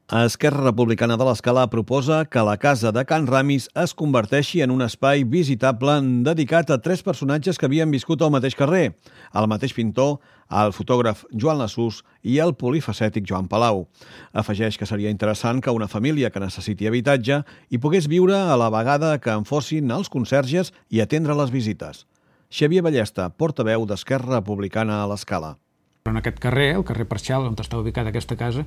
Esquerra Republicana de l'Escala proposa que la casa de Can Ramis es converteixi en un espai visitable dedicat a tres personatges que havien viscut al mateix carrer: el mateix pintor, el fotògraf Joan Lasús i el polifacètic Joan Palau. Afegeix que seria interessant que una família que necessiti habitatge hi pogués viure a la vegada que en fossin els conserges i atendre les visites. Xavier Ballesta, portaveu d'Esquerra Republicana a l'Escala. En aquest carrer, el carrer Parcial, on està ubicada aquesta casa,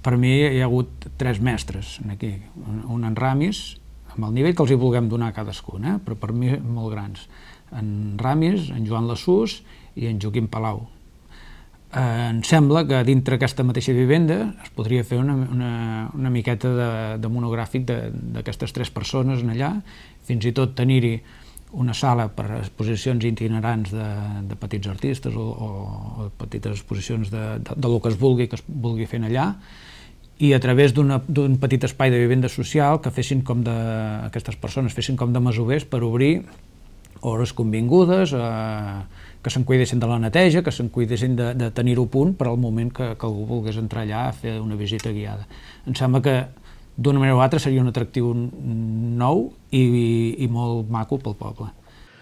per mi hi ha hagut tres mestres aquí. Un en Ramis, amb el nivell que els hi vulguem donar a cadascun, però per mi molt grans. En Ramis, en Joan Lasús i en Joaquim Palau. Em sembla que dintre aquesta mateixa vivenda es podria fer una miqueta de monogràfic d'aquestes tres persones allà, fins i tot tenir-hi una sala per a exposicions itinerants de petits artistes o petites exposicions del que es vulgui fer allà, i a través d'un petit espai de vivenda social que fessin aquestes persones fessin com de masovers per obrir hores convingudes, que se'n cuidessin de la neteja, que se'n cuidessin de tenir-ho a punt per al moment que algú volgués entrar allà a fer una visita guiada. Em sembla que d'una manera o altra seria un atractiu nou i molt maco pel poble.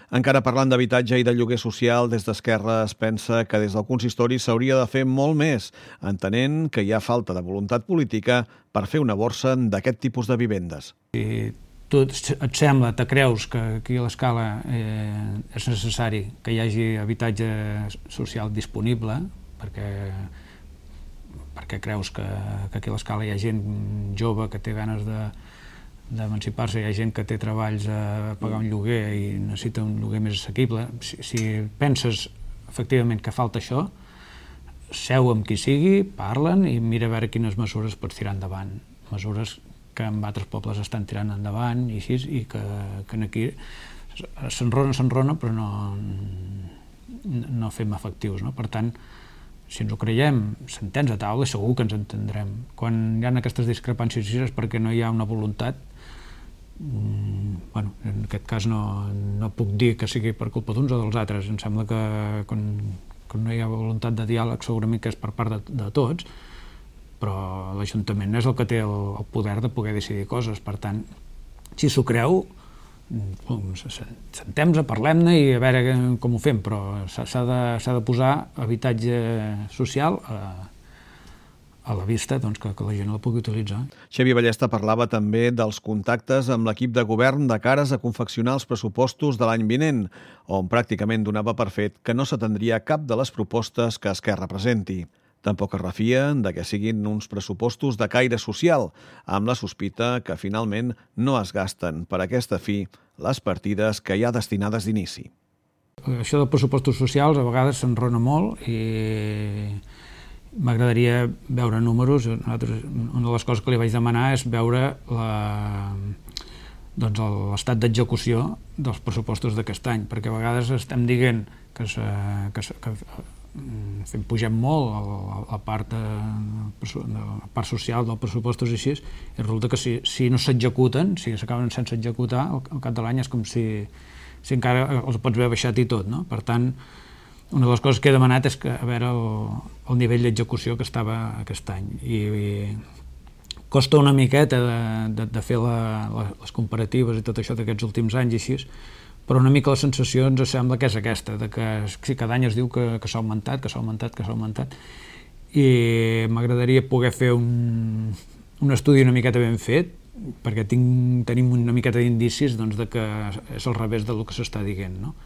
Encara parlant d'habitatge i de lloguer social, des d'Esquerra es pensa que des del consistori s'hauria de fer molt més, entenent que hi ha falta de voluntat política per fer una borsa d'aquest tipus de vivendes. Si tu et sembla, te creus que aquí a l'Escala és necessari que hi hagi habitatge social disponible, perquè creus que aquí a l'Escala hi ha gent jove que té ganes d'emancipar-se, hi ha gent que té treballs a pagar un lloguer i necessita un lloguer més assequible. Si penses efectivament que falta això, seu amb qui sigui, parlen i mira a veure quines mesures pots tirar endavant. Mesures que en altres pobles estan tirant endavant i així, i que aquí s'enrona però no fem efectius, no? Per tant, si ens ho creiem, sentem a taula, segur que ens entendrem. Quan hi ha aquestes discrepàncies és perquè no hi ha una voluntat. En aquest cas no puc dir que sigui per culpa d'uns o dels altres. Em sembla que quan no hi ha voluntat de diàleg segurament que és per part de tots, però l'Ajuntament és el que té el poder de poder decidir coses. Per tant, si s'ho creu, sentem-nos, parlem-ne i a veure com ho fem, però s'ha de posar habitatge social a la vista, que la gent la pugui utilitzar. Xavier Ballesta parlava també dels contactes amb l'equip de govern de cares a confeccionar els pressupostos de l'any vinent, on pràcticament donava per fet que no s'atendria cap de les propostes que Esquerra presenti. Tampoc es refien de que siguin uns pressupostos de caire social, amb la sospita que finalment no es gasten per aquesta fi les partides que hi ha destinades d'inici. Això dels pressupostos socials a vegades s'enrona molt i m'agradaria veure números. Una de les coses que li vaig demanar és veure l'estat d'execució dels pressupostos d'aquest any, perquè a vegades estem dient que pugem molt la part social dels pressupostos i així, i resulta que si no s'executen, si s'acaben sense executar, al cap de l'any és com si encara els pots haver baixat i tot, no? Per tant, una de les coses que he demanat és a veure el nivell d'execució que estava aquest any. I costa una miqueta de fer les comparatives i tot això d'aquests últims anys i així, però una mica la sensació ens sembla que és aquesta, que si cada any es diu que s'ha augmentat, i m'agradaria poder fer un estudi una miqueta ben fet, perquè tenim una miqueta d'indicis que és al revés del que s'està dient, no?